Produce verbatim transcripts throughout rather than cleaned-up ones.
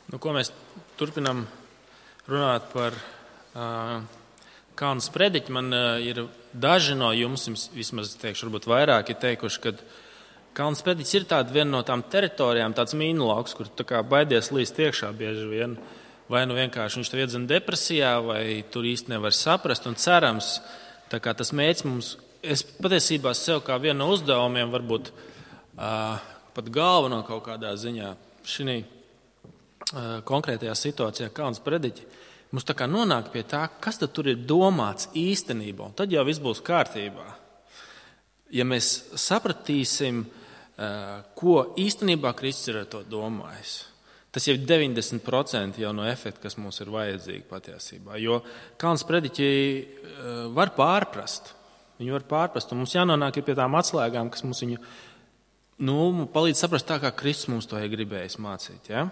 Nu, ko mēs turpinām runāt par uh, Kalnu sprediķi. Man uh, ir daži no jums, vismaz teikšu, varbūt vairāki teikuši, ka Kalnu sprediķis ir tāda viena no tām teritorijām, tāds mīnu lauks, kur tā kā baidies līst iekšā bieži vien. Vai nu vienkārši viņš tev iedzina depresijā, vai tur īsti nevar saprast. Un cerams, tā kā tas mērķis mums, es patiesībā sev kā vienu no uzdevumiem, varbūt uh, pat galveno kaut kādā ziņā šī konkrētajā situācijā Kalnu sprediķi, mums tā kā nonāk pie tā, kas tad tur ir domāts īstenībā, un tad jau viss būs kārtībā. Ja mēs sapratīsim, ko īstenībā Kristus ir ar to domājis, tas jau ir deviņdesmit procenti jau no efekta, kas mums ir vajadzīgi patiesībā, jo Kalnu sprediķi var pārprast, viņi var pārprast, un mums jānonāk pie tām atslēgām, kas mums viņu nu, palīdz saprast tā, kā Kristus mums to ir gribējis mācīt, ja?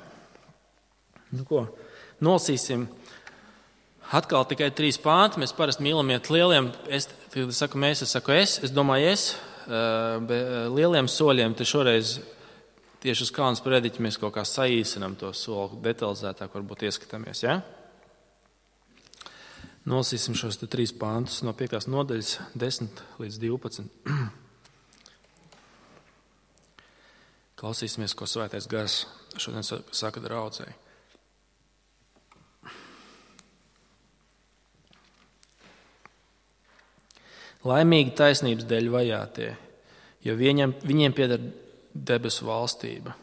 Nu, ko? Nolasīsim atkal tikai trīs pānti. Mēs parasti mīlam iet lieliem, es, kad es saku mēs, es saku es, es domāju es, lieliem soļiem, te šoreiz tieši uz Kalnu sprediķi mēs kaut kā saīsinam to soli, detalizētāk varbūt ieskatāmies, ja? Nolasīsim šos te trīs pāntus no piektās nodaļas, desmit līdz divpadsmit. Klausīsimies, ko Svētais Gars šodien saka draudzei. Laimīgi taisnības dēļ vajātie, jo viņiem, viņiem pieder debesu valstība.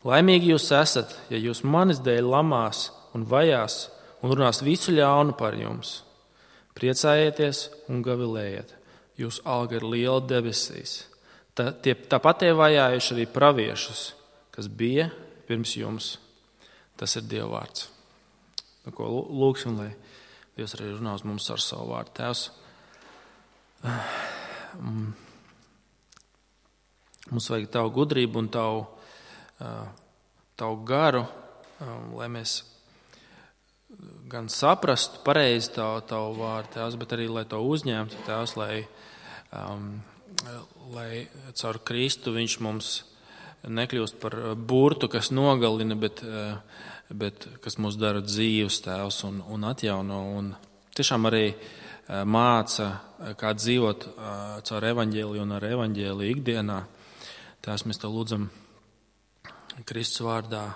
Laimīgi jūs esat, ja jūs manis dēļ lamās un vajās un runās visu ļaunu par jums. Priecājieties un gavilējiet, jūs alga ir liela debesīs. Tā, tie, tāpat tie vajājuši arī praviešus, kas bija pirms jums. Tas ir Dieva vārds. Nu, ko lūksim, lai Dievs arī runā uz mums ar savu vārdu. Tēvs, mums vajag tavu gudrību un tavu, tavu garu, lai mēs gan saprastu pareizi tavu, tavu vārdu, Tēvs, bet arī, lai to uzņemtu, Tēvs, lai, um, lai caur Kristu viņš mums nekļūst par burtu, kas nogalina, bet, bet kas mūs dara dzīvus, Tēvs, un, un atjauno, un tiešām arī māca, kā dzīvot caur evaņģēliju un ar evaņģēliju ikdienā. Tās mēs te lūdzam Kristus vārdā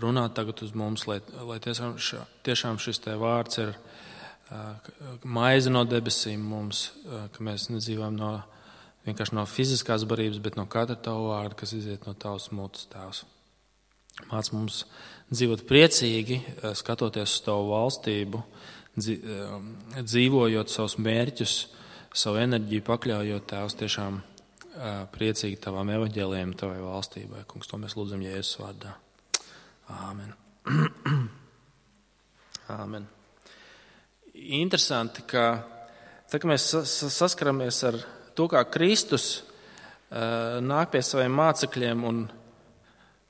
runāt tagad uz mums, lai, lai tiešām, tiešām šis te vārds ir maize no debesīm mums, ka mēs nedzīvojam no, vienkārši no fiziskās barības, bet no katra tavu vārdu, kas iziet no tavas mutes, Tēvs. Māc mums dzīvot priecīgi, skatoties uz tavu valstību, dzīvojot savus mērķus, savu enerģiju pakļaujot, Tēvs, tiešām priecīgi tavām evaņģēlijiem, tavai valstībai. Kungs, to mēs lūdzam Jēzus vārdā. Āmen. Āmen. Interesanti, ka tā, ka mēs saskaramies ar to, kā Kristus nāk pie saviem mācekļiem un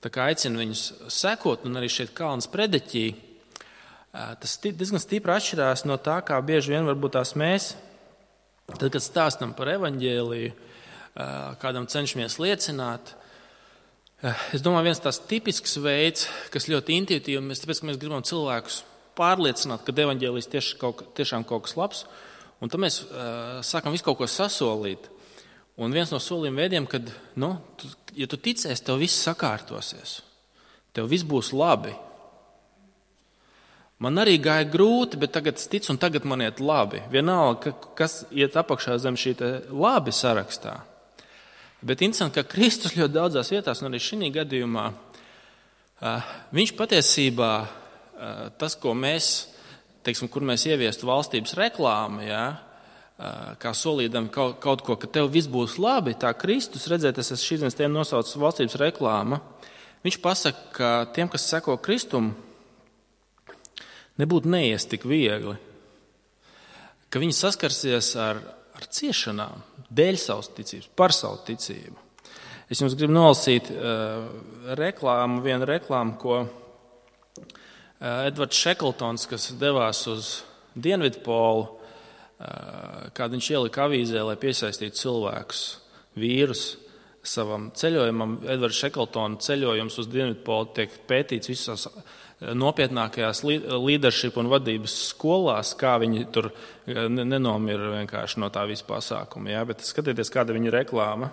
tā kā aicina viņus sekot, un arī šeit Kalnu sprediķī, tas diezgan stipri atšķirās no tā, kā bieži vien varbūt tās mēs, tad, kad stāstam par evaņģēliju, kādam cenšamies liecināt. Es domāju, viens tās tipisks veids, kas ļoti intuitīvi, mēs tāpēc, ka mēs gribam cilvēkus pārliecināt, ka evaņģēlijs tieši kaut, tiešām kaut kas labs, un tad mēs uh, sākam visu kaut ko sasolīt. Un viens no solījuma veidiem, kad, nu, tu, ja tu ticēsi, tev viss sakārtosies, tev viss būs labi. Man arī gāja grūti, bet tagad es ticu, un tagad man iet labi. Vienalga, kas iet apakšā zem šī te labi sarakstā. Bet interesanti, ka Kristus ļoti daudzās vietās, un arī šī gadījumā, viņš patiesībā, tas, ko mēs, teiksim, kur mēs ieviestu valstības reklāmu, ja, kā solīdam kaut, kaut ko, ka tev viss būs labi, tā Kristus, redzēt, es esmu šīs dienas tiem nosaucis valstības reklāma, viņš pasaka, ka tiem, kas seko Kristumu, nebūtu neies tik viegli, ka viņi saskarsies ar, ar ciešanām dēļ savas ticības, par savu ticību. Es jums gribu nolasīt uh, reklāmu, vienu reklāmu, ko uh, Edvards Šekltons, kas devās uz Dienvidpolu, uh, kādu viņš ielika avīzē, lai piesaistītu cilvēkus, vīrus, savam ceļojumam. Edvards Šekeltona ceļojums uz Dienvidpolu tiek pētīts visās nopietnākajās leadership un vadības skolās, kā viņi tur nenomira vienkārši no tā visa pasākuma. Ja? Bet skatieties, kāda viņa reklāma.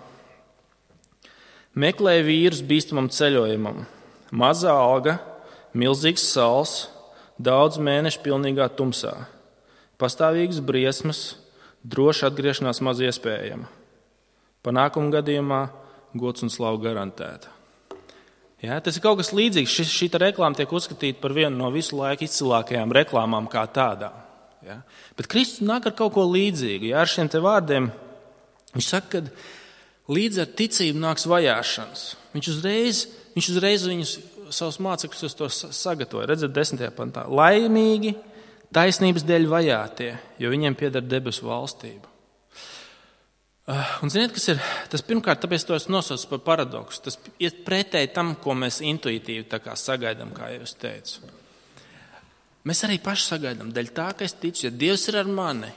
Meklēja vīrus bīstamam ceļojumam. Mazā alga, milzīgs sals, daudz mēnešu pilnīgā tumsā. Pastāvīgas briesmas, droša atgriešanās maz iespējama. Panākuma gadījumā gods un slavu garantēta. Ja, tas ir kaut kas līdzīgs. Šī, šī reklāma tiek uzskatīta par vienu no visu laiku izcilākajām reklāmām kā tādām. Ja. Bet Kristus nāk ar kaut ko līdzīgu. Ja, ar šiem te vārdiem viņš saka, ka līdz ar ticību nāks vajāšanas. Viņš uzreiz, viņš uzreiz viņus, savus mācekļus uz to sagatavoja. Redzat, desmitajā pantā. Laimīgi taisnības dēļ vajātie, jo viņiem pieder debesu valstība. Un ziniet, kas ir? Tas pirmkārt, tāpēc to es nosaucu par paradoksu. Tas iet pretēji tam, ko mēs intuitīvi tā kā sagaidām, kā jau es teicu. Mēs arī paši sagaidām, dēļ tā, ka es ticu, ja Dievs ir ar mani,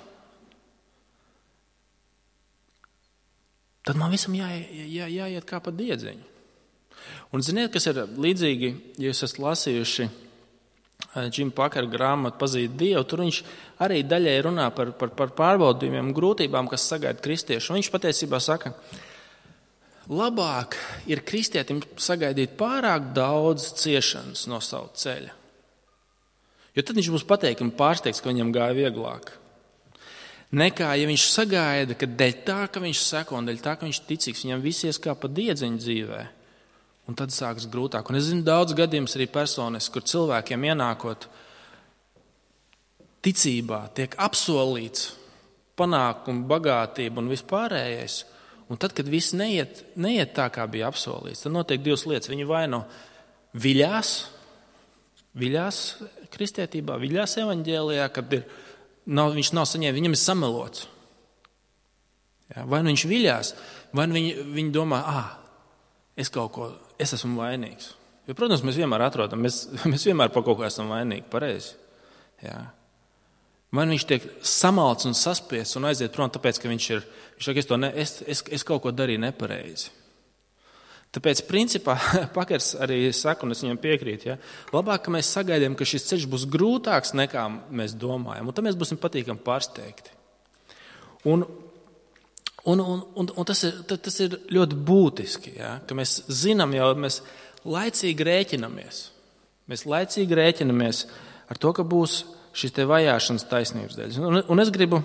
tad man visam jā, jā, jāiet kā pa diedziņu. Un ziniet, kas ir līdzīgi, ja jūs esat lasījuši Džima Pakera grāmatu Pazīt Dievu, tur viņš arī daļai runā par, par, par pārbaudījumiem, grūtībām, kas sagaida kristiešu. Un viņš patiesībā saka, labāk ir kristietim sagaidīt pārāk daudz ciešanas no savu ceļa. Jo tad viņš būs pateikami pārsteigts, ka viņam gāja vieglāk. Nekā, ja viņš sagaida, ka dēļ tā, ka viņš seko un dēļ tā, ka viņš ticīgs, viņam visies kā pa diedziņu dzīvē. Un tad sākas grūtāk. Un es zinu daudz gadījumus arī personis, kur cilvēkiem ienākot ticībā tiek apsolīts panākumu, bagātību un vispārējais. Un tad, kad viss neiet, neiet tā, kā bija apsolīts, tad notiek divas lietas. Viņi vai no viļās, viļās kristietībā, viļās evaņģēlijā, kad ir, nav, viņš nav saņēmis, viņam ir samelots. Ja, vai nu viņš viļās, vai nu viņi, viņi domā, ā, es kaut ko, es esmu vainīgs. Jo, protams, mēs vienmēr atrodam, mēs, mēs vienmēr par kaut ko esam vainīgi, pareizi. Jā. Vai viņš tiek samalts un saspiests un aiziet prom, tāpēc, ka viņš ir, viņš saka, es, to ne, es, es, es kaut ko darīju nepareizi. Tāpēc, principā, Pakers arī saka, un es viņam piekrītu, ja, labāk, ka mēs sagaidām, ka šis ceļš būs grūtāks nekā mēs domājam, un tad mēs būsim patīkami pārsteigti. Un Un, un, un, un tas, ir, tas ir ļoti būtiski, ja, ka mēs zinām jau, mēs laicīgi rēķinamies. Mēs laicīgi rēķinamies ar to, ka būs šis te vajāšanas taisnības dēļ. Un, un es gribu,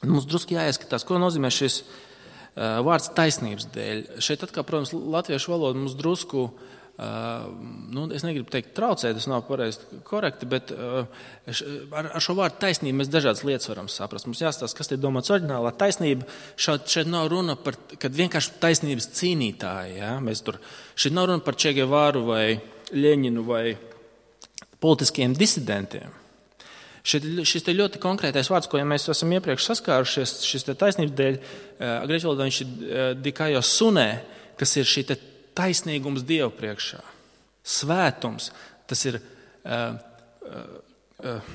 mums drusku jāieskatās, ko nozīmē šis uh, vārds taisnības dēļ. Šeit atkal, protams, latviešu valoda mums drusku, uh, nu, es negribu teikt traucēt, tas nav pareizi korekti, bet uh, ar, ar šo vārdu taisnību mēs dažādas lietas varam saprast. Mums jāstāsta, kas te ir domāts oriģinālā. Taisnība šeit, šeit nav runa par, kad vienkārši taisnības cīnītāji. Ja? Mēs tur, šeit nav runa par Che Guevaru vai Ļeņinu vai politiskiem disidentiem. Šeit, šis te ļoti konkrētais vārds, ko ja mēs esam iepriekš saskārušies, šis te taisnības dēļ, grieķu valodā viņš ir dikajo sunē, kas ir šī te taisnīgums Dievu priekšā. Svētums, tas ir uh, uh,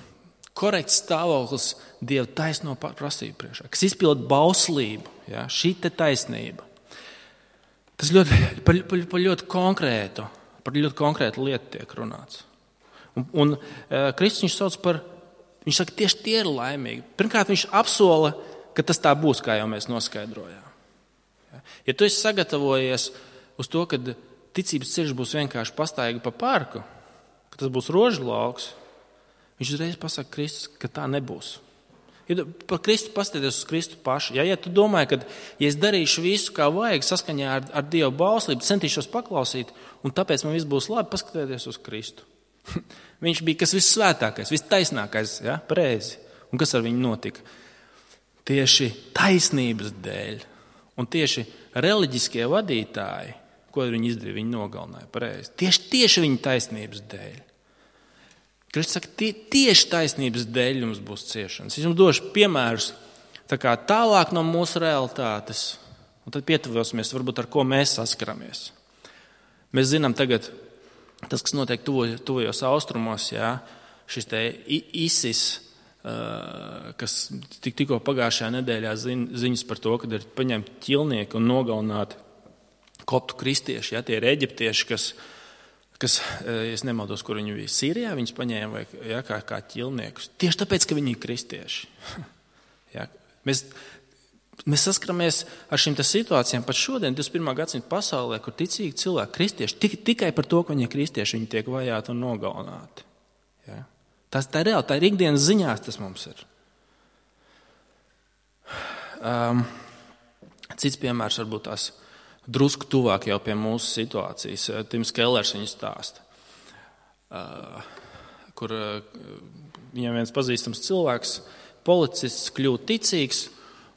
korekts stāvoklis Dieva taisno prasību priekšā, kas izpild bauslību, ja, šī te taisnība. Tas ļoti, par, par, par ļoti konkrētu, par ļoti konkrētu lietu tiek runāts. Un, un uh, Kristus viņš sauc par, viņš saka, tieši tie ir laimīgi. Pirmkārt, viņš apsola, ka tas tā būs, kā jau mēs noskaidrojām. Ja, ja tu esi sagatavojies uz to, ka ticības ceļš būs vienkārši pastaigā pa parku, ka tas būs rožu lauks, viņš uzreiz pasaka Kristus, ka tā nebūs. Ja par Kristu paskaties uz Kristu pašu. Ja, ja tu domāji, ka ja es darīšu visu, kā vajag, saskaņā ar, ar Dievu bauslību, centīšos paklausīt, un tāpēc man viss būs labi, paskatieties uz Kristu. Viņš bija kas vissvētākais, vistaisnākais, ja, pareizi. Un kas ar viņu notika? Tieši taisnības dēļ. Un tieši reliģiskie vadītāji, ko viņi izdarīja, viņi nogalināja, pareizi. Tieši, tieši viņa taisnības dēļ. Kristus saka, tie, tieši taisnības dēļ jums būs ciešanas. Es jums došu piemērus tā kā tālāk no mūsu realitātes, un tad pietuvosimies, varbūt ar ko mēs saskaramies. Mēs zinām tagad, tas, kas notiek tuvajos austrumos, jā, šis te ISIS, kas tik, tikko pagājušajā nedēļā ziņas par to, kad ir paņemti ķilnieki un nogalināti koptu kristieši, ja, tie ir eģiptieši, kas, kas, es nemaldos, kur viņi bija, Sīrijā viņus paņēma vai, ja, kā, kā ķilniekus. Tieši tāpēc, ka viņi ir kristieši. Ja, mēs, mēs saskaramies ar šīm situācijām pat šodien, divdesmit pirmā gadsimta pasaulē, kur ticīgi cilvēki, kristieši, tik, tikai par to, ka viņi ir kristieši, viņi tiek vajāti un nogalināti. Ja. Tas tā ir reāli, tā ir ikdienas ziņās, tas mums ir. Um, cits piemērs varbūt tās drusku tuvāk jau pie mūsu situācijas. Tims Kellers viņu stāsta, uh, kur uh, viņam viens pazīstams cilvēks, policists, kļūst ticīgs,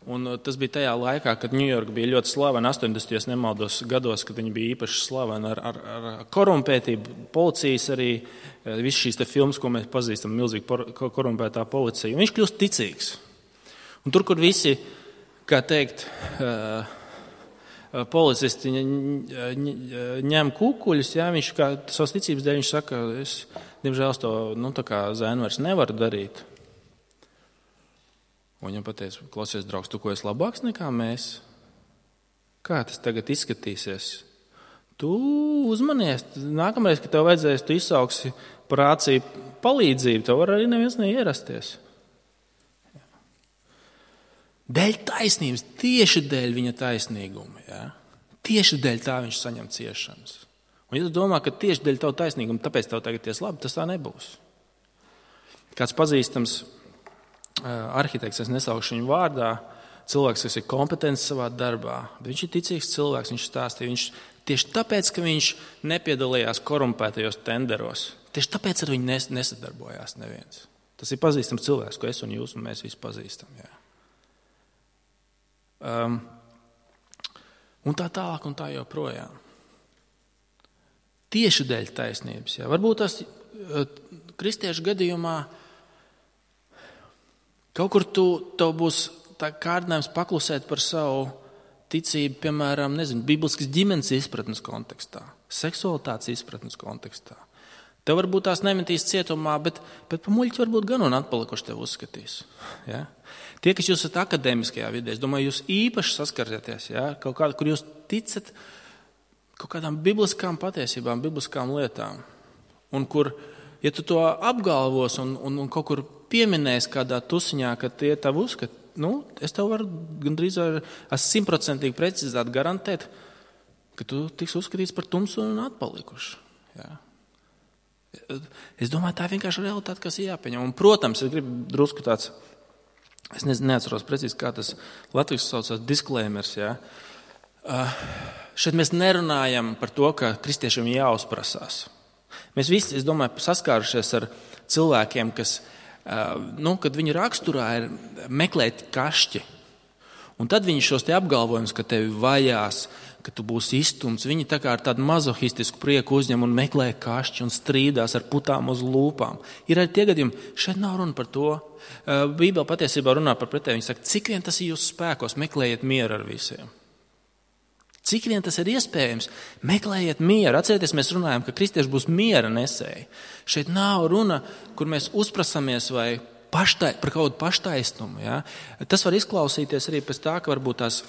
un uh, tas bija tajā laikā, kad Ņujorka bija ļoti slavena, astoņdesmitajos nemaldos gados, kad viņi bija īpaši slaveni ar, ar, ar korumpētību, policijas arī, uh, viss šīs te filmas, ko mēs pazīstam, milzīgi por, korumpētā policija, un viņš kļūst ticīgs. Un tur, kur visi, kā teikt, uh, policisti ņem kukuļus, jā, viņš kā savas ticības dēļ, viņš saka, es, diemžēl, to, nu, tā kā zēnu vairs nevaru darīt. Un viņam pateica, klausies, draugs, tu ko esi labāks nekā mēs? Kā tas tagad izskatīsies? Tu uzmanies, nākamreiz, kad tev vajadzēs, tu izsauksi par āciju palīdzību, tev var arī neviens neierasties. Dēļ taisnības, tieši dēļ viņa taisnīguma. Ja? Tieši dēļ tā viņš saņem ciešanas. Un ja tu domā, ka tieši dēļ tavu taisnīgumu, tāpēc tev tagad ies labi, tas tā nebūs. Kāds pazīstams arhitekts, es nesaukšu viņu vārdā, cilvēks, kas ir kompetents savā darbā, bet viņš ir ticīgs cilvēks, viņš stāstīja, viņš tieši tāpēc, ka viņš nepiedalījās korumpētajos tenderos, tieši tāpēc ar viņu nesadarbojās neviens. Tas ir pazīstams cilvēks, ko es un jūs un mēs visi pazīstam. Jā. Um, un tā tālāk un tā joprojām. Tieši dēļ taisnības. Jā. Varbūt tas uh, kristiešu gadījumā kaut kur tu, tev būs tā kārdinājums paklusēt par savu ticību, piemēram, nezinu, bibliskas ģimenes izpratnes kontekstā, seksualitātes izpratnes kontekstā. Tev varbūt tās nemetīs cietumā, bet, bet pa muļķi varbūt gan un atpalikuši tev uzskatīs. Ja? Tie, kas jūs esat akadēmiskajā vidē, es domāju, jūs īpaši saskarieties, ja? Kaut kādā, kur jūs ticat kaut kādām bibliskām patiesībām, bibliskām lietām. Un kur, ja tu to apgalvos un, un, un kaut kur pieminēs kādā tusiņā, ka tie tavu uzskat, nu, es tev varu gandrīz ar simtprocentīgi precizitāti garantēt, ka tu tiks uzskatīts par tumsu un atpalikuši. Ja? Es domāju, tā ir vienkārši realitāte, kas ir jāpieņem. Un, protams, es gribu drusku tāds, es ne, neatceros precīzi, kā tas latviešu saucās, disclaimers. Ja? Uh, šeit mēs nerunājam par to, ka kristiešiem jāuzprasās. Mēs visi, es domāju, saskārušies ar cilvēkiem, kas, uh, nu, kad viņu raksturā ir meklēt kašķi. Un tad viņi šos te apgalvojumus, ka tevi vajās, ka tu būsi izstumts, viņi tā kā ar tādu mazohistisku prieku uzņem un meklē kašķi un strīdās ar putām uz lūpām. Ir arī tie gadījumi, šeit nav runa par to. Bībele patiesībā runā par pretēju. Viņa saka, cik vien tas ir jūsu spēkos, meklējiet mieru ar visiem. Cik vien tas ir iespējams, meklējiet mieru. Atcerieties, mēs runājam, ka kristieši būs miera nesēji. Šeit nav runa, kur mēs uzprasamies vai paštai, par kaut kādu paštaisnumu. Ja? Tas var izklausīties arī pēc tā, ka varbūt tās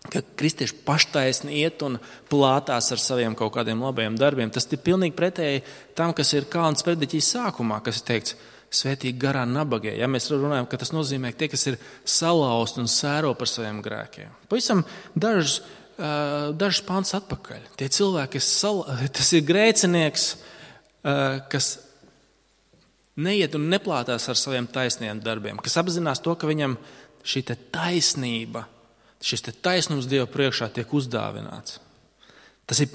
ka kristieši paštaisni iet un plātās ar saviem kaut kādiem labajiem darbiem. Tas ir pilnīgi pretēji tam, kas ir Kalna sprediķijas sākumā, kas ir teikts svētīgi garā nabagie. Ja mēs runājam, ka tas nozīmē tie, kas ir salausti un sēro par saviem grēkiem. Pavisam dažus, dažus pants atpakaļ. Tie cilvēki, kas sal... tas ir grēcinieks, kas neiet un neplātās ar saviem taisniem darbiem, kas apzinās to, ka viņam šī te taisnība, šis te taisnums Dieva priekšā tiek uzdāvināts. Tas ir,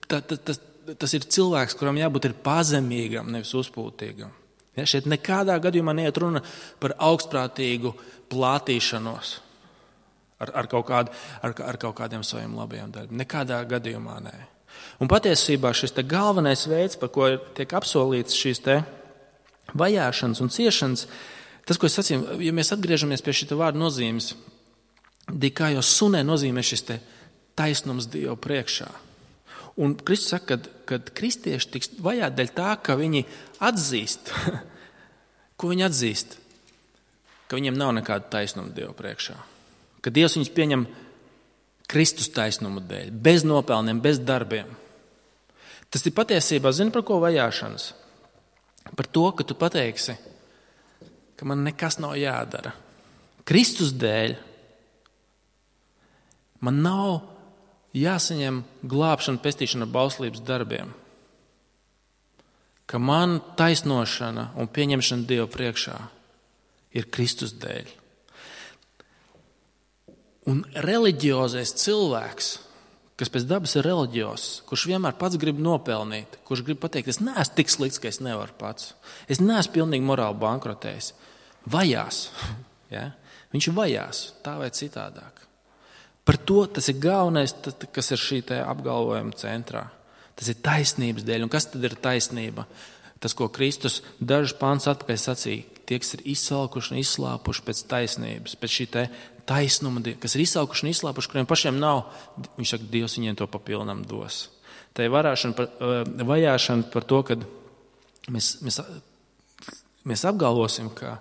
ta, ta, tas, tas ir cilvēks, kuram jābūt ir pazemīgam, nevis uzpūtīgam. Ja, šeit nekādā gadījumā neiet runa par augstprātīgu plātīšanos ar, ar, kaut kādu, ar, ar kaut kādiem saviem labajiem darbiem. Nekādā gadījumā nē. Un patiesībā šis te galvenais veids, par ko tiek apsolīts šīs te vajāšanas un ciešanas, tas, ko es sacīju, ja mēs atgriežamies pie šī vārda nozīmes, kā jau sunē nozīmē šis te taisnums Dievu priekšā. Un Kristus saka, kad, kad kristieši tiks vajāti dēļ tā, ka viņi atzīst, ko viņi atzīst, ka viņiem nav nekāda taisnuma Dievu priekšā. Ka Dievs viņus pieņem Kristus taisnuma dēļ, bez nopelniem, bez darbiem. Tas ir patiesībā, zini, par ko vajāšanas? Par to, ka tu pateiksi, ka man nekas nav jādara. Kristus dēļ man nav jāsaņem glābšana, pestīšana ar bauslības darbiem. Ka man taisnošana un pieņemšana Dieva priekšā ir Kristus dēļ. Un reliģiozais cilvēks, kas pēc dabas ir reliģiozs, kurš vienmēr pats grib nopelnīt, kurš grib pateikt, es neesmu tik slikts, ka es nevaru pats. Es neesmu pilnīgi morāli bankrotējis. Vajās. Ja? Viņš vajās tā vai citādāk. Par to tas ir galvenais, kas ir šī te apgalvojuma centrā. Tas ir taisnības dēļ. Un kas tad ir taisnība? Tas, ko Kristus dažus pāns atpakaļ sacīja, tie, kas ir izsalkuši un izslāpuši pēc taisnības, pēc šī te taisnuma, kas ir izsalkuši un izslāpuši, kuriem pašiem nav, viņš saka, Dievs viņiem to papilnam dos. Tā ir varāšana par, vajāšana par to, ka mēs, mēs, mēs apgalvosim, ka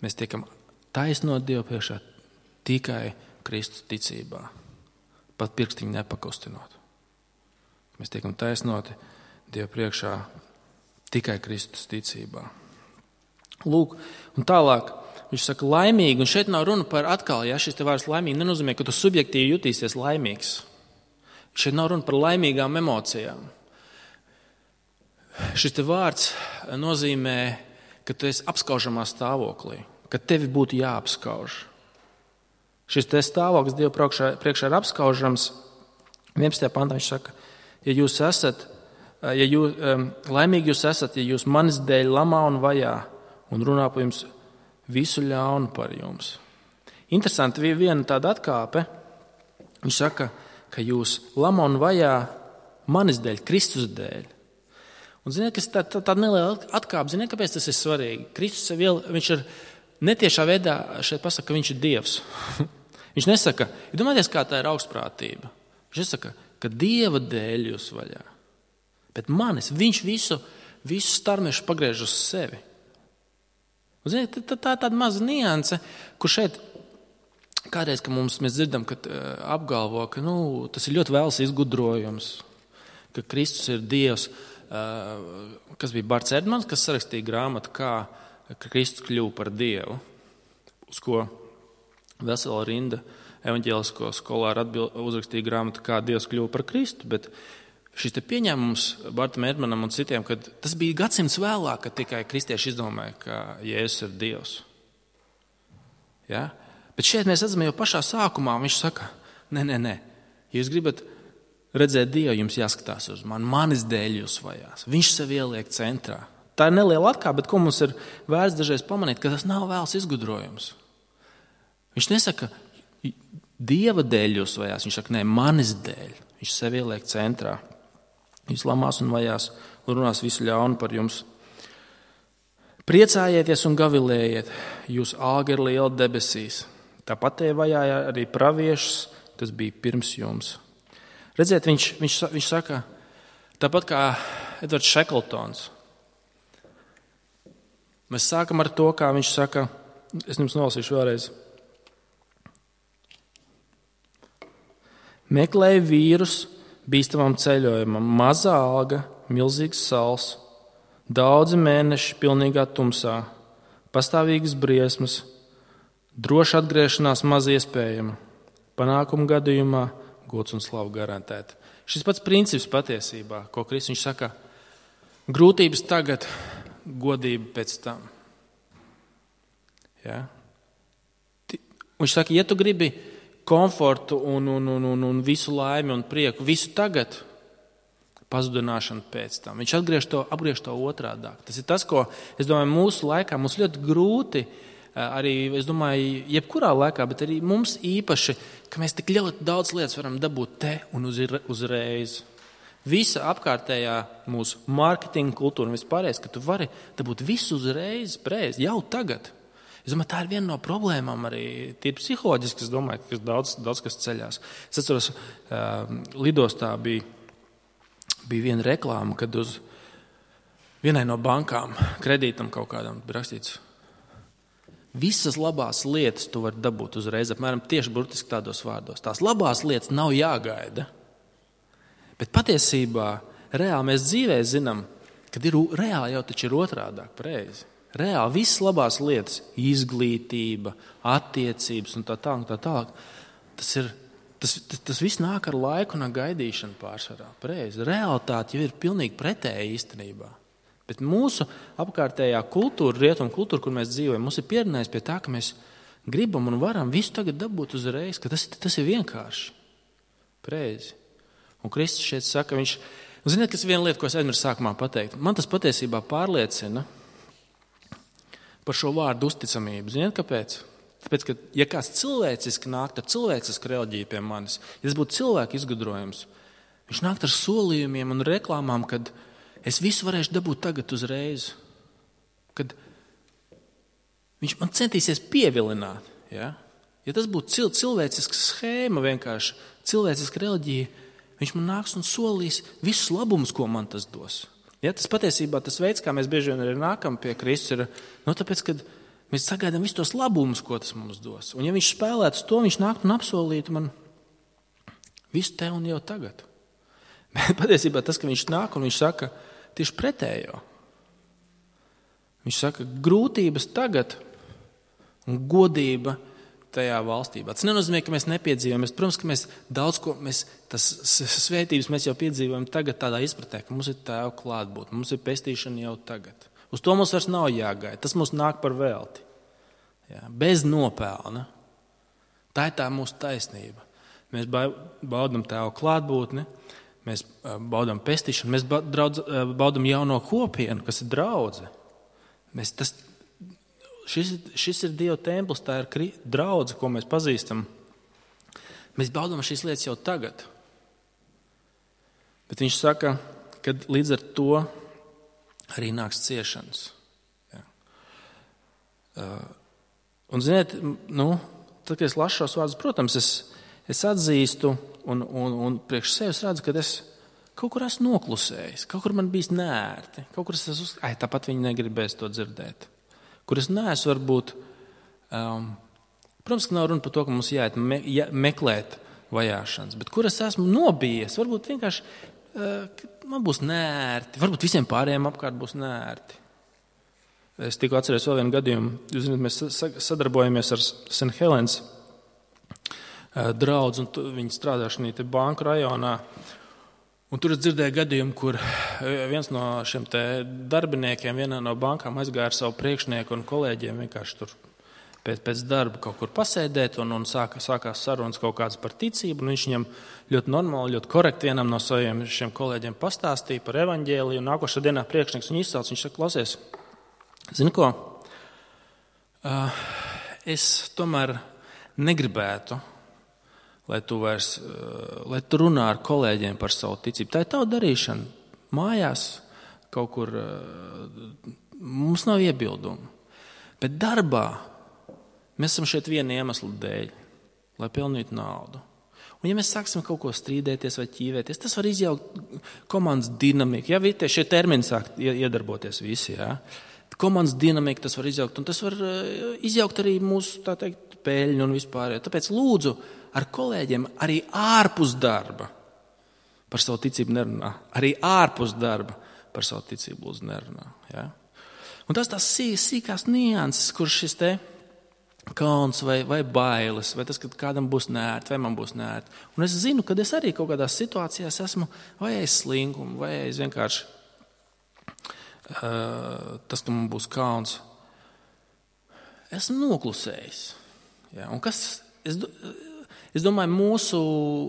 mēs tiekam taisnot Dievu priekšā tikai Kristus ticībā, pat pirkstiņu nepakustinot. Mēs tiekam taisnoti Dievu priekšā tikai Kristus ticībā. Lūk, un tālāk viņš saka laimīgi, un šeit nav runa par atkal, ja šis te vārds laimīgi nenozīmē, ka tu subjektīvi jutīsies laimīgs. Šeit nav runa par laimīgām emocijām. Šis te vārds nozīmē, ka tu esi apskaužamā stāvoklī, ka tevi būtu jāapskauž. Šis te stāvoklis Dieva priekšā, priekšā ir apskaužams. vienpadsmitajā pantā viņš saka, ja jūs esat, ja jūs, laimīgi jūs esat, ja jūs manis dēļ lamā un vajā un runā par jums visu ļaunu par jums. Interesanti, viena tāda atkāpe, viņš saka, ka jūs lamā un vajā manis dēļ, Kristus dēļ. Un ziniet, kas tā, tā, tāda neliela atkāpe, ziniet, kāpēc tas ir svarīgi? Kristus sev iel, viņš ir netiešā veidā šeit pasaka, ka viņš ir Dievs. Viņš nesaka, ja domājieties, kā tā ir augstprātība. Viņš nesaka, ka Dieva dēļ jūs vaļā. Bet manis, viņš visu, visu starmešu pagriež uz sevi. Un, ziniet, tā, tā tāda maza nianse, kur šeit kādreiz, ka mums mēs dzirdam, ka uh, apgalvo, ka nu, tas ir ļoti vēls izgudrojums, ka Kristus ir Dievs, uh, kas bija Barts Erdmans, kas sarakstīja grāmatu, kā Kristus kļuva par Dievu, uz ko vesela rinda evaņģēlisko skolāru atbild, uzrakstīja grāmatu, kā Dievs kļuva par Kristu, bet šis te pieņēmums Bartam Erdmanam un citiem, ka tas bija gadsimts vēlāk, kad tikai kristieši izdomāja, ka Jēzus ir Dievs. Ja? Bet šeit mēs redzam jau pašā sākumā, viņš saka, nē, nē, nē, ja jūs gribat redzēt Dievu, jums jāskatās uz mani, manis dēļ jūs vajās. Viņš sev ieliek centrā. Tā ir neliela atkāpe, bet ko mums ir vērts dažreiz pamanīt, ka tas nav vēls izgudrojums. Viņš nesaka, Dieva dēļ jūs vajās, viņš saka, nē, manis dēļ. Viņš sev ieliek centrā. Jūs lamās un vajās un runās visu ļaunu par jums. Priecājieties un gavilējiet, jūs alga ir liela debesīs. Tāpat te vajāja arī praviešus, kas bija pirms jums. Redziet, viņš, viņš, viņš saka, tāpat kā Edvards Šekltons. Mēs sākam ar to, kā viņš saka, es jums nolasīšu vēlreiz. Meklēju vīrus bīstamam ceļojumam, mazā alga, milzīgs sals, daudzi mēneši pilnīgā tumsā, pastāvīgas briesmas, droša atgriešanās maz iespējama, panākumu gadījumā gods un slavu garantēt. Šis pats princips patiesībā, ko Kristus viņš saka, grūtības tagad, godība pēc tam. Ja? Viņš saka, ja tu gribi komfortu un, un, un, un, un visu laimi un prieku, visu tagad, pazudināšanu pēc tam. Viņš atgriež to, apgriež to otrādāk. Tas ir tas, ko, es domāju, mūsu laikā mums ļoti grūti, arī, es domāju, jebkurā laikā, bet arī mums īpaši, ka mēs tik ļoti daudz lietas varam dabūt te un uz, uzreiz. Visa apkārtējā mūsu mārketinga kultūra un vispārējais, ka tu vari dabūt visu uzreiz, preiz, jau tagad. Es domāju, tā ir viena no problēmām arī tīri psiholoģiski, es domāju, ka daudz, daudz kas ceļās. Es atceros, uh, lidostā bija, bija viena reklāma, kad uz vienai no bankām kredītam kaut kādam bija rakstīts Visas labās lietas tu vari dabūt uzreiz, apmēram tieši burtiski tādos vārdos. Tās labās lietas nav jāgaida. Bet patiesībā reāli mēs dzīvē zinām, kad ir reāli jau taču ir otrādāk pareizi. Reāli visas labās lietas, izglītība, attiecības un tā tālāk, tā tālāk, tas ir, tas, tas, tas viss nāk ar laiku un ar gaidīšanu pārsvarā. Pareizi. Realitāte jau ir pilnīgi pretēja īstenībā. Bet mūsu apkārtējā kultūra, rietumu kultūra, kur mēs dzīvojam, mums ir pierunājis pie tā, ka mēs gribam un varam visu tagad dabūt uzreiz, ka tas, tas ir vienkārši. Pareizi. Un Kristus šeit saka, viņš, un ziniet, kas ir viena lieta, ko es aizmirsu sākumā pateikt. Man tas patiesībā pārliecina par šo vārdu uzticamību. Ziniet, kāpēc? Tāpēc, ka ja kāds cilvēciski nākt ar cilvēcisku reliģiju pie manis, ja tas būtu cilvēku izgudrojums, viņš nākt ar solījumiem un reklāmām, kad es visu varēšu dabūt tagad uzreiz. Kad viņš man centīsies pievilināt. Ja, ja tas būtu cil- cilvēciska schēma vienkārši, cilvēciska reliģija, viņš man nāks un solīs visus labumus, ko man tas dos. Ja, tas patiesībā tas veids, kā mēs bieži vien arī nākam pie Kristus, ir no tāpēc, ka mēs sagaidām visus tos labumus, ko tas mums dos. Un ja viņš spēlētu to, viņš nāktu un apsolītu man visu te un jau tagad. Bet patiesībā tas, ka viņš nāk un viņš saka tieši pretējo. Viņš saka grūtības tagad un godība tajā valstībā. Tas nenozīmē, ka mēs nepiedzīvojam. Protams, ka mēs daudz ko, mēs, tas svētības mēs jau piedzīvojam tagad tādā izpratē, ka mums ir Tēva klātbūtne, mums ir pestīšana jau tagad. Uz to mums vairs nav jāgaida. Tas mums nāk par velti. Jā, bez nopelna. Tā ir tā mūsu taisnība. Mēs baudam Tēva klātbūtni, mēs baudam pestīšanu, mēs baudam jauno kopienu, kas ir draudze. Mēs tas Šis, šis ir Dieva templis, tā ir draudze, ko mēs pazīstam. Mēs baudām šīs lietas jau tagad. Bet viņš saka, ka līdz ar to arī nāks ciešanas. Ja. Uh, un, ziniet, nu, tad, kad es lasu šos vārdus, protams, es, es atzīstu un, un, un priekš sevis redzu, ka es kaut kur esmu noklusējis, kaut kur man bijis nērti, kaut kur es esmu, ai, tāpat viņi negribēs to dzirdēt. Kur es neesmu varbūt, um, protams, ka nav runa par to, ka mums jāiet me, jā, meklēt vajāšanas, bet kur es esmu nobijies, varbūt vienkārši uh, man būs nērti, varbūt visiem pārējiem apkārt būs nērti. Es tikko atceros vēl vienu gadījumu, jūs zināt, mēs sadarbojamies ar Saint Helens uh, draudzi, un viņi strādā šajā banku rajonā. Un tur es dzirdēju gadījumu, kur viens no šiem te darbiniekiem vienā no bankām aizgāja ar savu priekšnieku un kolēģiem vienkārši tur pēc, pēc darba kaut kur pasēdēt un, un sāka, sākās sarunas kaut kādas par ticību. Un viņš viņam ļoti normāli, ļoti korekti vienam no saviem šiem kolēģiem pastāstīja par evaņģēliju. Un nākošā dienā priekšnieks viņu izsauc, viņš saka, klausies, zini ko, uh, es tomēr negribētu, lai tu, vairs, lai tu runā ar kolēģiem par savu ticību. Tā ir tava darīšana. Mājās kaut kur mums nav iebildumu. Bet darbā mēs esam šeit viena iemesla dēļ, lai pelnītu naudu. Un ja mēs sāksim kaut ko strīdēties vai ķīvēties, tas var izjaukt komandas dinamiku. Ja vītie šie termini sāk iedarboties visi, ja? Komandas dinamika tas var izjaukt, un tas var izjaukt arī mūsu, tā teikt, peļņu un vispār. Tāpēc lūdzu, ar kolēģiem arī ārpus darba par savu ticību nerunā. Arī ārpus darba par savu ticību lūdzu nerunā. Ja? Un tas tās sīkās nianses, kur šis te kauns vai, vai bailes, vai tas, ka kādam būs nērti, vai man būs nērti. Un es zinu, ka es arī kaut kādās situācijās esmu vai aiz slinkumu, vai aiz vienkārši uh, tas, ka man būs kauns. Esmu noklusējis. Ja? Un kas... Es, Es domāju, mūsu,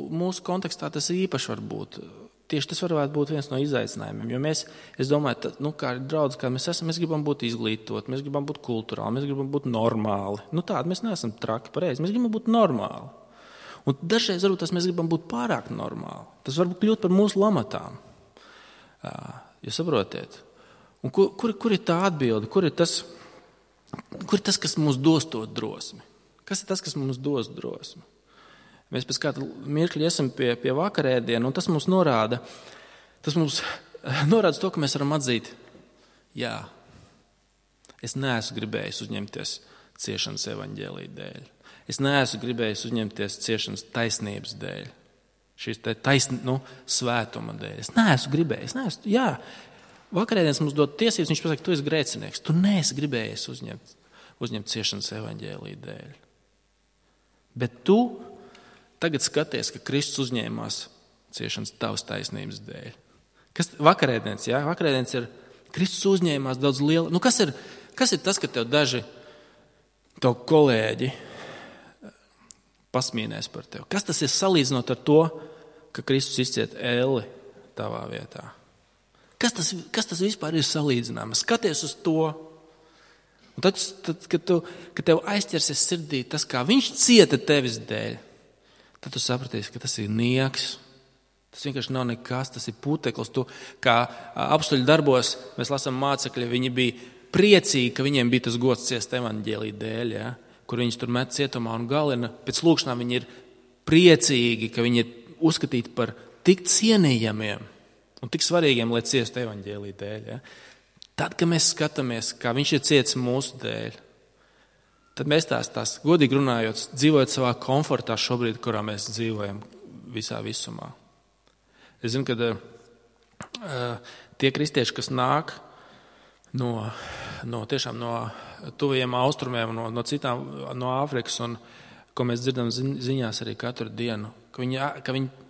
mūsu kontekstā tas īpaši var būt. Tieši tas varētu būt viens no izaicinājumiem. Jo mēs, es domāju, tā, nu, kā draudz, kā mēs esam, mēs gribam būt izglītot, mēs gribam būt kulturāli, mēs gribam būt normāli. Nu tādi mēs neesam traki, pareizi, mēs gribam būt normāli. Un dažreiz varbūt tas mēs gribam būt pārāk normāli. Tas varbūt kļūt par mūsu lamatām. Jūs saprotiet? Un kur, kur, kur ir tā atbilde? Kur ir tas, kur ir tas, kas mums dos to drosmi? Kas ir tas, kas mums dos drosmi? Mēs pēc kāda mirkļa esam pie, pie vakarēdienu, un tas mums norāda, tas mums norāda to, ka mēs varam atzīt, jā, es neesmu gribējis uzņemties ciešanas evaņģēlija dēļ. Es neesmu gribējis uzņemties ciešanas taisnības dēļ. Šīs te taisn, nu, svētuma dēļ. Es neesmu gribējis. Neesmu, jā, vakarēdienas mums dod tiesības, viņš pasaka, tu esi grēcinieks. Tu neesi gribējis uzņemt, uzņemt ciešanas evaņģēlija dēļ. Bet tu tagad skaties, ka Kristus uzņēmās ciešanas tavas taisnības dēļ. Kas vakarēdienas, jā? Vakarēdienas ir Kristus uzņēmās daudz liela. Nu, kas ir, kas ir tas, ka tev daži tavu kolēģi pasmīnēs par tevi? Kas tas ir salīdzinot ar to, ka Kristus izciet ēli tavā vietā? Kas tas, kas tas vispār ir salīdzināms? Skaties uz to. Un tad, tad kad, tu, kad tev aizķersies sirdī tas, kā viņš cieta tevis dēļ, tad tu sapratīsi, ka tas ir nieks. Tas vienkārši nav nekas, tas ir puteklis. Tu, kā apstuļu darbos mēs lasām mācekļi, viņi bija priecīgi, ka viņiem bija tas gods ciest evaņģēlija dēļ, ja? Kur viņus tur met cietumā un galina. Pēc lūkšanām viņi ir priecīgi, ka viņi ir uzskatīti par tik cienījamiem un tik svarīgiem, lai ciestu evaņģēlija dēļ. Ja? Tad, kad mēs skatāmies, kā viņš ir ciets mūsu dēļ, tad mēs tās, tās godīgi runājot, dzīvojot savā komfortā šobrīd, kurā mēs dzīvojam visā visumā. Es zinu, ka uh, tie kristieši, kas nāk no, no, tiešām no tuvajiem austrumiem, no, no citām, no Āfrikas, un ko mēs dzirdam ziņās arī katru dienu, ka viņi, ka viņi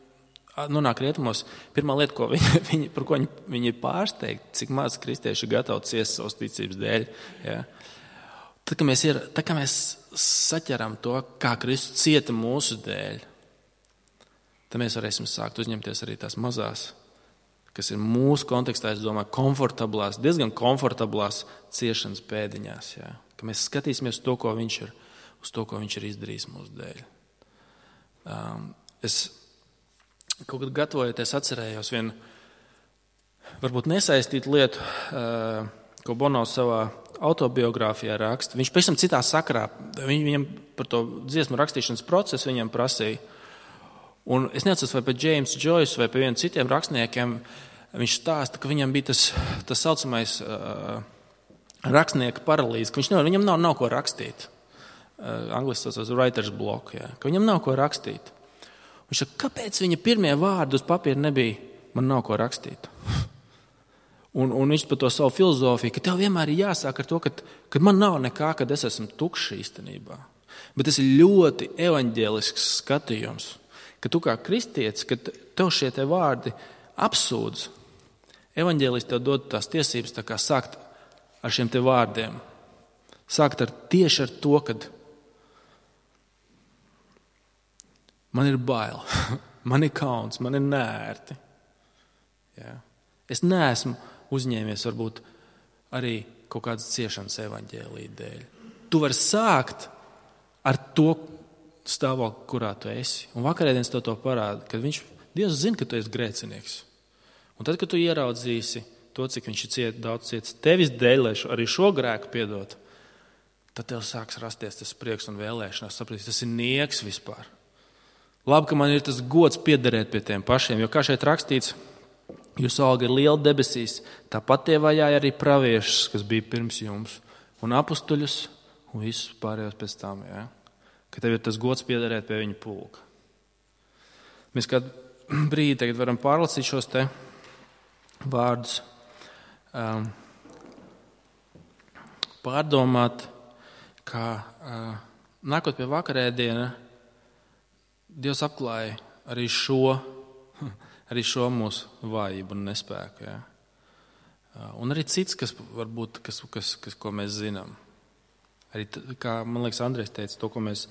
nonāk rietumos, pirmā lieta, ko viņi, viņi, par ko viņi, viņi ir pārsteigti, cik maz kristieši ir gatavi ciest savas ticības dēļ. Ja? Tad, kad mēs, ir, tad, kad mēs saķeram to, kā Kristus cieta mūsu dēļ, tad mēs varēsim sākt uzņemties arī tās mazās, kas ir mūsu kontekstā, es domāju, komfortablās, diezgan komfortablās ciešanas pēdiņās. Ja? Ka mēs skatīsimies to, ko viņš ir, uz to, ko viņš ir izdarījis mūsu dēļ. Um, es kaut kad gatavojoties atcerējos vienu, varbūt nesaistītu lietu, uh, ko Bono savā autobiogrāfijā raksta. Viņš pēc tam citā sakarā, viņ, viņam par to dziesmu rakstīšanas procesu viņam prasīja. Un es neatceros, vai pie James Joyce vai pie vieniem citiem rakstniekiem viņš stāsta, ka viņam bija tas, tas saucamais uh, rakstnieka paralīze, ka viņš nevar, viņam nav, nav ko rakstīt. Uh, angliski tas ir writer's block, jā, ka viņam nav ko rakstīt. Viņš saka, kāpēc viņa pirmie vārdi uz papīra nebija, man nav ko rakstīt? un, un viņš par to savu filozofiju, ka tev vienmēr ir jāsāk ar to, ka, ka man nav nekā, kad es esmu tukšs īstenībā. Bet tas ir ļoti evaņģēlisks skatījums. Ka tu kā kristietis, kad tev šie te vārdi apsūdz, evaņģēlis tev dod tās tiesības tā kā sākt ar šiem te vārdiem. Sākt ar tieši ar to, kad man ir bail, man ir kauns, man ir nērti. Ja? Es neesmu uzņēmies varbūt arī kaut kādas ciešanas evaņģēlija dēļ. Tu vari sākt ar to stāvokli, kurā tu esi. Un vakarēdienas tev to parāda, ka viņš, Dievs zina, ka tu esi grēcinieks. Un tad, kad tu ieraudzīsi to, cik viņš ir ciet, daudz ciets tevis dēļ, lai šo, arī šo grēku piedot, tad tev sāks rasties tas prieks un vēlēšanās. Sapratīs, tas ir nieks vispār. Labi, ka man ir tas gods piederēt pie tiem pašiem, jo kā šeit rakstīts, jūsu alga ir liela debesīs, tāpat tie vajāja arī praviešus, kas bija pirms jums, un apustuļus, un visus pārējos pēc tam, jā. Ka tev ir tas gods piederēt pie viņa pulka. Mēs kādu brīdi tagad varam pārlasīt šos te vārdus, um, pārdomāt, kā uh, nākot pie vakarēdiena, Dievs apklāja arī šo, arī šo mūsu vājību un nespēku. Ja? Uh, un arī cits, kas varbūt, kas, kas, kas, ko mēs zinām. Arī, kā man liekas, Andrejs teica, to, ko mēs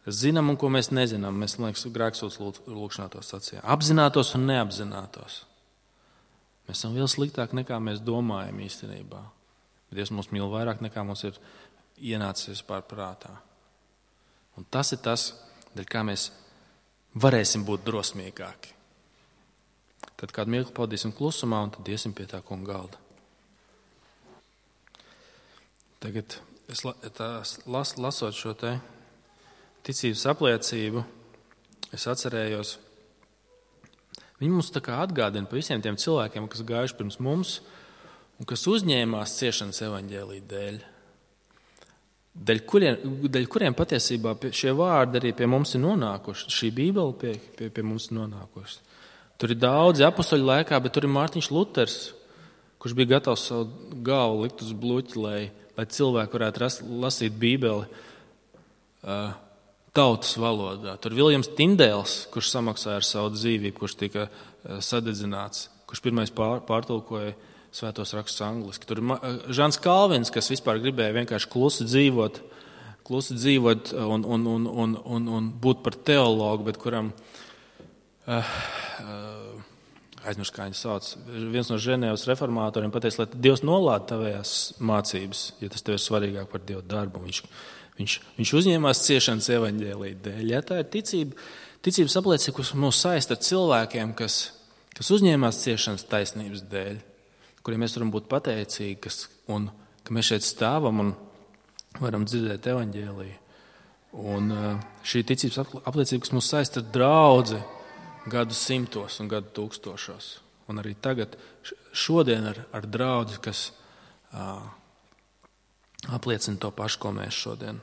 zinām un ko mēs nezinām. Mēs, man liekas, grēksūdz lūkšanā to sacījām. Apzinātos un neapzinātos. Mēs esam vēl sliktāk nekā mēs domājam īstenībā. Dievs mūs mīl vairāk nekā mums ir ienācis vispār prātā. Un tas ir tas, dēļ kā mēs varēsim būt drosmīgāki. Tad kādu mirkli pavadīsim klusumā un tad iesim pie tā kunga galda. Tagad es las, lasot šo te ticības apliecību, es atcerējos, viņi mums tā kā atgādina par visiem tiem cilvēkiem, kas gājuši pirms mums un kas uzņēmās ciešanas evaņģēlija dēļ. Daļ kuriem, daļ kuriem patiesībā šie vārdi arī pie mums ir nonākuši. Šī Bībele pie, pie, pie mums ir nonākusi. Tur ir daudzi apustuļu laikā, bet tur ir Mārtiņš Luters, kurš bija gatavs savu galvu likt uz bluķi, lai, lai cilvēki varētu rast, lasīt Bībeli uh, tautas valodā. Tur Viljams Tindēls, kurš samaksāja ar savu dzīvību, kurš tika uh, sadedzināts, kurš pirmais pār, pārtulkoja Svētos rakstus angliski. Tur ir Žans Kalvins, kas vispār gribēja vienkārši klusi dzīvot, klusi dzīvot un, un, un, un, un, un būt par teologu, bet kuram, uh, uh, aizmirst, kā viņu sauc, viens no Ženēvas reformātoriem pateica, lai Dievs nolāda tavējās mācības, ja tas tev ir svarīgāk par Dievu darbu. Viņš, viņš, viņš uzņēmās ciešanas evaņģēlija dēļ. Ja, tā ir ticība, ticības apliecība, kas mūs saista ar cilvēkiem, kas, kas uzņēmās ciešanas taisnības dēļ, kuriem mēs varam būt pateicīgi, kas, un ka mēs šeit stāvam un varam dzirdēt evaņģēliju. Un šī ticības apliecība, kas mūs saista ar draudzi gadu simtos un gadu tūkstošos. Un arī tagad, šodien ar, ar draudzi, kas uh, apliecina to pašu, ko mēs šodien